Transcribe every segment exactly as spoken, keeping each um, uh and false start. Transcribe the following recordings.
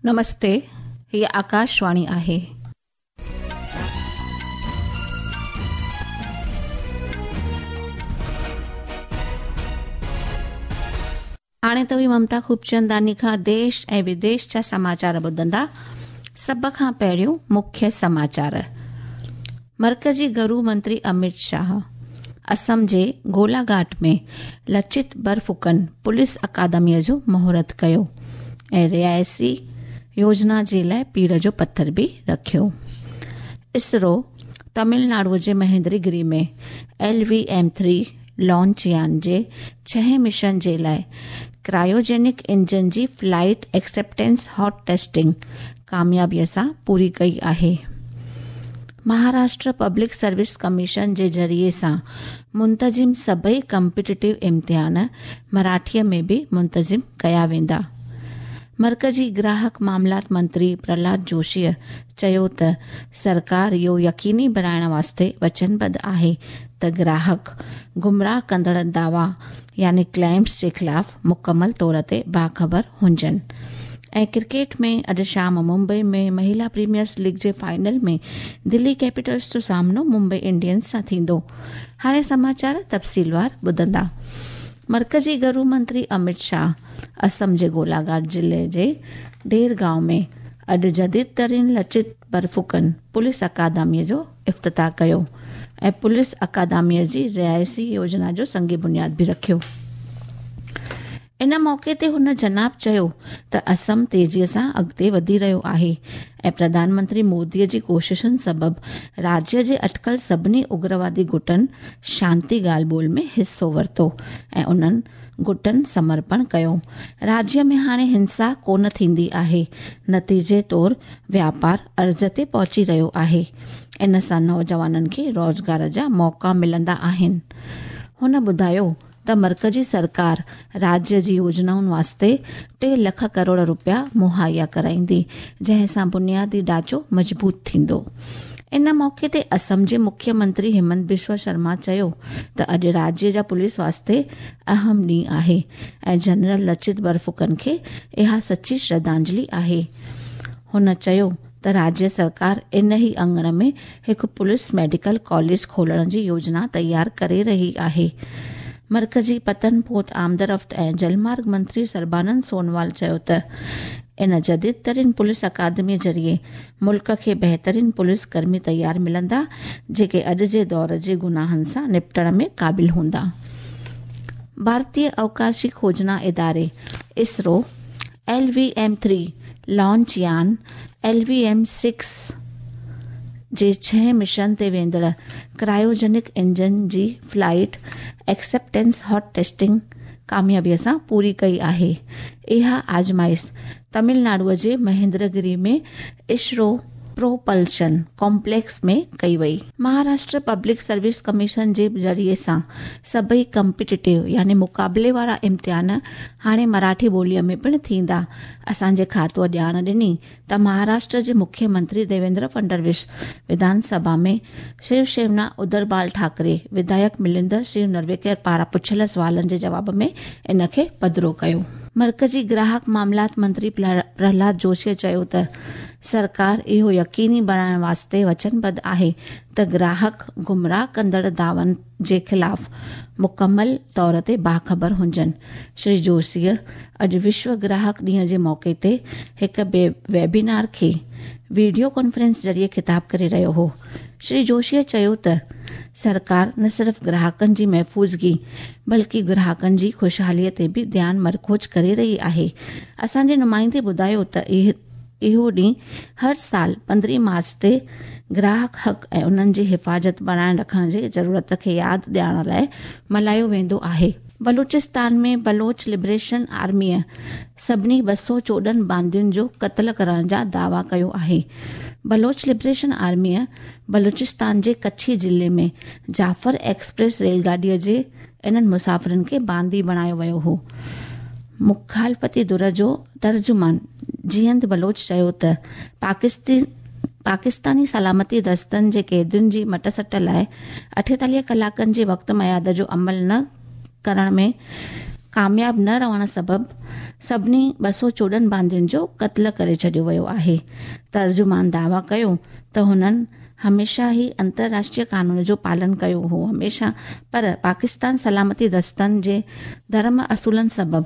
नमस्ते, हीअ आकाशवाणी आहे। हाणे तव्हीं ममता खूबचंदानी खां देश ऐं विदेश जा समाचार ॿुधंदा। सभ खां पहिरियों मुख्य समाचार। मर्कजी घरू मंत्री अमित शाह असम जे गोलाघाट में लचित बरफुकन पुलिस अकादमीअ जो मुहूर्त कयो ऐं रिहाइशी योजना जे लाइ पीड़ जो पथर बि रखियो। इसरो तमिलनाडु जे महेंद्रगिरी में L V M three launch यान जे छहें मिशन जे लाइ क्रायोजेनिक इंजन जी फ्लाइट एक्सेप्टेंस हॉट टेस्टिंग कामयाबीअ सां पूरी कई आहे। महाराष्ट्र पब्लिक सर्विस कमीशन जे ज़रिए सां मुंतज़िम सभई कॉम्पिटिटिव इम्तिहान मराठीअ में बि मुंतज़िम कया वेंदा। मर्कज़ी ग्राहक मामलात मंत्री प्रहलाद जोशीअ चयो त सरकार इहो यकीनी बणाइण वास्ते वचनबद्ध आहे त ग्राहक गुमराह कंदड़ दावा यानी क्लेम्स जे ख़िलाफ़ मुकमल तौर ते बाख़बर हुजनि। ऐं क्रिकेट में अॼु शाम मुंबई में महिला प्रीमियर लीग जे फाइनल में दिल्ली कैपिटल्स जो सामनो मुंबई इंडियंस सां थींदो। हाणे समाचार तफ़सीलवार ॿुधंदा। मर्कज़ी घरू मंत्री अमित शाह असम जे गोलाघाट ज़िले जे डेरगांव में अॼु जदीद तरीन लचित बरफुकन पुलिस अकादमीअ जो इफ़्तिताह कयो ऐं पुलिस अकादमीअ जी रिहाइशी योजना जो संग बुनियाद बि रखियो। इन मौक़े ते हुन जनाब चयो त असम तेज़ीअ सां अॻिते वधी रहियो आहे ऐं प्रधानमंत्री मोदीअ जी कोशिशुनि सबबु राज्य जे अटकल सभिनी उग्रवादी गुटनि शांति ॻाल्हि ॿोल में हिसो वरितो ऐं उन्हनि गुटनि समर्पण कयो। राज्य में हाणे हिंसा कोन थींदी आहे, नतीजे तौर व्यापार अर्ज़ ते पहुची रहियो आहे। इन सां नौजवाननि खे रोज़गार जा मौक़ा मिलंदा आहिनि। हुन ॿुधायो त मर्कज़ी सरकार राज्य जी योजनाउनि वास्ते टे लख करोड़ रुपया मुहैया कराईंदी, जंहिं सां बुनियादी ढांचो मज़बूत थींदो। इन मौक़े ते असम जे मुख्यमंत्री हेमंत बिश्व शर्मा चयो त अॼु राज्य जा पुलिस वास्ते अहम ॾींहुं आहे ऐं जनरल लचित बरफुकन खे इहा सची श्रद्धांजलि आहे। हुन चयो त राज्य सरकार इन ई अंगण में हिकु पुलिस मेडिकल कॉलेज खोलण जी योजना तयार करे रही आहे। मर्कज़ी पतन पोत आमदरफ़्त ऐं जलमार्ग मंत्री सर्बानंद सोनोवाल चयो त इन जदीद तरीन पुलिस अकादमी ज़रिए मुल्क खे बहितरीन पुलिस कर्मी तयार मिलंदा, जेके अॼु जे दौर जे गुनाहनि सां निपटण में क़ाबिल हूंदा। भारतीय अवकाशी खोजना इदारे ISRO L V M three launch यान एल वी एम सिक्स जे छहें मिशन ते वेंदड़ क्रायोजेनिक इंजन जी फ्लाइट एक्सेप्टेंस हॉट टेस्टिंग कामयाबीअ सां पूरी कई आहे। इहा आज़माइश तमिलनाडुअ जे महेंद्रगिरी में इसरो प्रोपल्शन कॉम्प्लेक्स में कई वई। महाराष्ट्र पब्लिक सर्विस कमीशन जे ज़रिए सां सभई कॉम्पिटिटिव यानी मुक़ाबले वारा इम्तिहान हाणे मराठी ॿोलीअ में पिणु थींदा। असांजे खातूअ ॼाण ॾिनी त महाराष्ट्र जे मुख्यमंत्री देवेंद्र फडणवीस विधानसभा में शिवसेना उद्धव बाल ठाकरे विधायक मिलिंद शिव नरवेकर पारां पुछियल सवालनि जे जवाब में इन खे पधरो कयो। मर्कज़ी ग्राहक मामलात मंत्री प्रहलाद जोशीअ चयो त सरकार इहो यकीनी बणाइण वास्ते वचनबद्ध आहे त ग्राहक गुमराह कंदड़ दावनि जे ख़िलाफ़ मुकमल तौर ते बाख़बर हुजनि। श्री जोशीअ अॼु विश्व ग्राहक ॾींहं जे मौक़े ते हिकु वेबिनार खे वीडियो कॉन्फ्रेंस ज़रिए ख़िताब करे रहियो हो। श्री जोशीअ चयो त सरकार न सिर्फ़ ग्राहकनि जी महफ़ूज़गी बल्कि ग्राहकनि जी ख़ुशहालीअ ते बि ध्यानु मरकूज़ करे रही आहे। असांजे नुमाइंदे ॿुधायो त इहो ॾींहुं हर साल पंद्रहीं मार्च ते ग्राहक हक़ ऐं उन्हनि जी हिफ़ाज़त बणाए रखण जी ज़रूरत खे यादि ॾियारण लाइ मल्हायो वेंदो आहे। बलूचिस्तान में बलोच लिबरेशन आर्मीअ सभिनी ॿ सौ चोॾहं बांदियुनि जो क़तल करण जा दावा कयो आहे। बलोच लिबरेशन आर्मीअ बलूचिस्तान जे कच्छी ज़िले में जाफ़र एक्सप्रेस रेलगाॾीअ जे इन्हनि मुसाफ़िरनि खे बांदी बणायो वियो हो। मुखालफ़ती धुर जो तर्जुमान जीअंद बलोच चयो त पाकिस्तानी सलामती दस्तनि जे क़ैदियुनि जी मटसट लाइ अठेतालीह कलाकनि जे वक़्त मयाद जो अमल न करण में कामयाब न रहण सबबु सभिनी ॿ सौ चोॾहं बांदियुनि जो क़त्ल करे छॾियो वियो आहे। तर्जुमान दावा कयो त हुननि हमेशा ही अंतर्राष्ट्रीय कानून जो पालन कयो हो हमेशा, पर पाकिस्तान सलामती दस्तनि जे धर्म असूलनि सबबु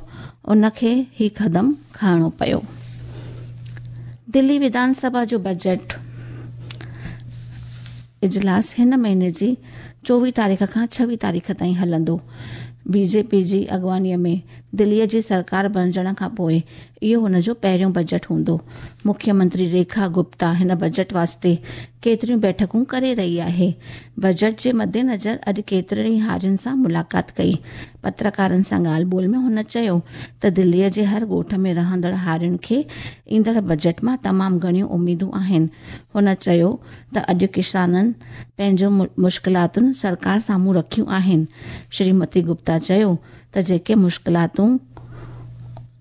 उनखे ही क़दम खणणो पियो। दिल्ली विधानसभा जो बजट इजलास हिन महीने जी चोवीह तारीख़ खां छवीह तारीख़ ताईं हलंदो। बीजेपी जी अॻवानीअ में दिल्लीअ जी सरकार बणिजण खां पोइ इहो हुन जो पहिरियों बजट हूंदो। मुख्यमंत्री रेखा गुप्ता हिन बजट वास्ते केतिरियूं बैठकूं करे रही आहे। बजट जे मद्देनज़र अॼु केतिरनि ई हारियुनि सां मुलाक़ात कई। पत्रकारनि सां ॻाल्हि ॿोल में हुन चयो त दिल्लीअ जे हर ॻोठ में रहंदड़ हारियुनि खे ईंदड़ बजट मां तमामु घणियूं उमेदूं आहिनि। हुन चयो त अॼु किसाननि पंहिंजूं मुश्किलातुनि सरकार साम्हूं रखियूं आहिनि। श्रीमती गुप्ता चयो त जेके मुश्किलातूं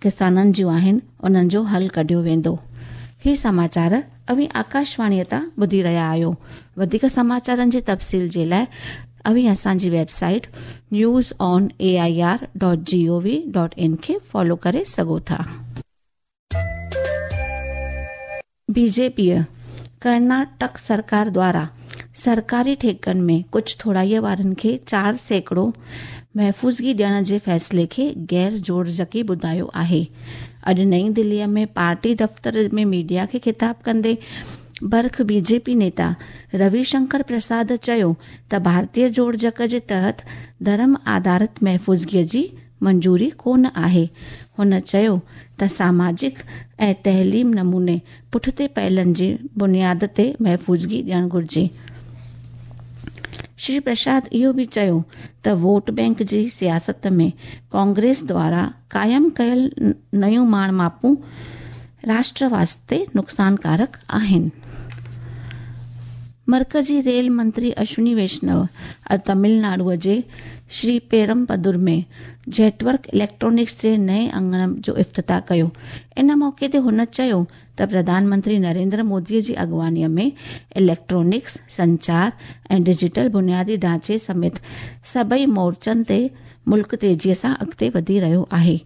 किसाननि जूं आहिनि उन्हनि जो हल कढियो वेंदो। ही समाचार अवीं आकाशवाणीअ तां ॿुधी रहिया आहियो। वधीक समाचारनि जी तफ़सील जे लाइ अवीं असांजी website news on A I R dot G O V dot in खे फॉलो करे सघो था। बीजेपीअ कर्नाटक सरकार द्वारा सरकारी ठेकनि में कुझु थोराईअ वारनि खे चारि सैकड़ो महफ़ूज़गी ॾियण जे फ़ैसिले खे गैर जोड़जकी ॿुधायो आहे। अॼु नई दिल्लीअ में पार्टी दफ़्तर में मीडिया खे ख़िताब कंदे बर्ख बीजेपी नेता रविशंकर प्रसाद चयो त भारतीय जोड़जक जे तहत धर्म आधारित महफ़ूज़गीअ जी मंजूरी कोन आहे। हुन चयो त सामाजिक ऐं तहलीम नमूने पुठिते पहलनि जे बुनियाद ते महफ़ूज़गी ॾियणु घुरिजे। श्री प्रसाद इहो बि चयो त वोट बैंक जी सियासत में कांग्रेस द्वारा क़ाइमु कयल नयूं माण मापूं राष्ट्र वास्ते नुक़सानकारक आहिनि। मर्कज़ी रेल मंत्री अश्विनी वैष्णव अॼु तमिलनाडुअ जे श्री पेरमपदुर में जेटवर्क इलेक्ट्रॉनिक्स जे नए अंगण जो इफ़्तिताह कयो। इन मौक़े ते हुन चयो त प्रधानमंत्री नरेंद्र मोदीअ जी अॻवानीअ में इलेक्ट्रॉनिक्स, संचार ऐं डिजिटल बुनियादी ढांचे समेत सभई मोर्चनि ते मुल्क तेज़ीअ सां अॻिते वधी रहियो आहे।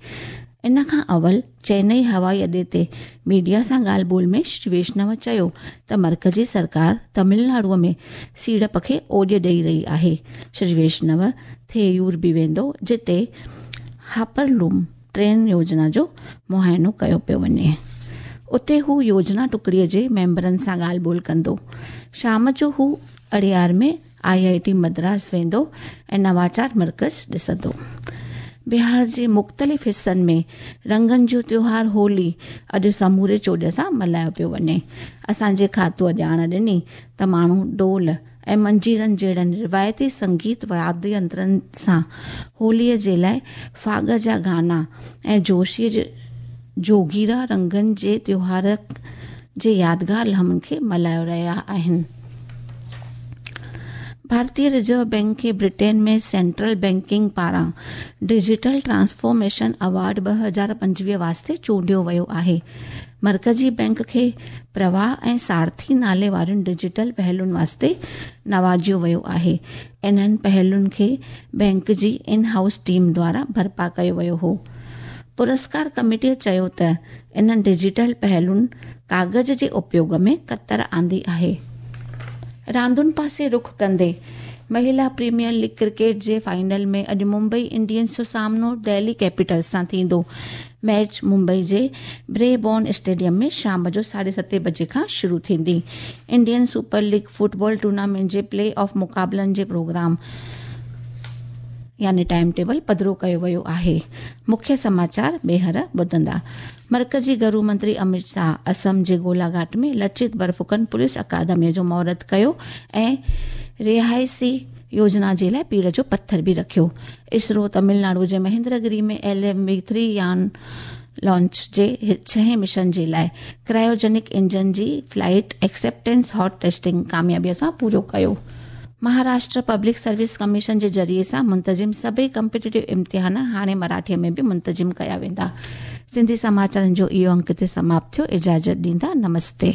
इन खां अवल चेन्नई हवाई अॾे ते मीडिया सां ॻाल्हि ॿोल में श्री वैष्णव चयो त मर्कज़ी सरकार तमिलनाडुअ में सीड़प खे ओॾ ॾेई रही आहे। श्री वैष्णव थेयूर बि वेंदो जिते हापरलूम ट्रेन योजना जो मुआइनो कयो पियो वञे। उते हू योजना टुकड़ीअ जे मेंबरनि सां ॻाल्हि ॿोल कंदो। शाम जो हू अड़ियार में आई I T Madras वेंदो ऐं नवाचार मर्कज़ ॾिसंदो। बिहार जे मुख़्तलिफ़ हिसनि में रंगनि जो त्योहार होली अॼु समूरे चोॾ सां मल्हायो पियो वञे। असांजे खातूअ ॼाण ॾिनी त माण्हू ढोल ऐं मंजीरनि जहिड़नि रिवायती संगीत वाद्य यंत्रनि सां होलीअ जे लाइ फाग जा गाना ऐं जोशीअ जे जोगीरा रंगनि जे त्योहार जे यादगार लम्हनि खे मल्हायो रहिया आहिनि। भारतीय रिजर्व बैंक खे ब्रिटेन में सेंट्रल बैंकिंग पारां डिजिटल ट्रांसफॉर्मेशन अवार्ड ॿ हज़ार पंजवीह वास्ते चूंडियो वियो आहे। मर्कज़ी बैंक खे प्रवाह ऐं सारथी नाले वारियुनि डिजिटल पहलुनि वास्ते नवाजियो वियो आहे। इन्हनि पहलुनि खे bank ji in house team द्वारा बर्पा कयो वियो हो। पुरस्कार कमेटीअ चयो त इन्हनि डिजिटल पहलुनि कागज़ जे उपयोग में कतर आंदी आहे। रांदुनि पासे रुख कंदे महिला प्रीमियर लीग क्रिकेट जे फाइनल में अॼु मुंबई इंडियंस जो सामनो दिल्ली कैपिटल्स सां थींदो। मैच मुंबई जे ब्रेबॉर्न स्टेडियम में शाम जो साढे सते बजे खां शुरू थींदी। Indian super league football tournament J play of मुक़ाबलनि जे प्रोग्राम यानी टाइम टेबल पधरो कयो वियो आहे। मुख्य समाचार ॿीहर ॿुधंदा। मर्कज़ी घरू मंत्री अमित शाह असम जे गोलाघाट में लचित बरफुकन पुलिस अकादमीअ जो मुहूर्त कयो ऐं रिहाइशी योजना जे लाइ पीड़ जो पथर बि रखियो। इसरो तमिलनाडु जे महेंद्रगिरी में एल एम वी थ्री यान लॉन्च जे छहें मिशन जे लाइ क्रायोजेनिक इंजन जी फ्लाइट एक्सेप्टेंस हॉट टेस्टिंग कामयाबीअ सां पूरो कयो। महाराष्ट्र पब्लिक सर्विस कमीशन जे ज़रिए सां मुंतज़िम सभई कॉम्पिटिटिव इम्तिहान हाणे मराठीअ में बि मुंतज़िम कया वेंदा। सिंधी समाचारनि जो इहो अंक हिते समाप्त थियो। इजाज़त ॾींदा, नमस्ते।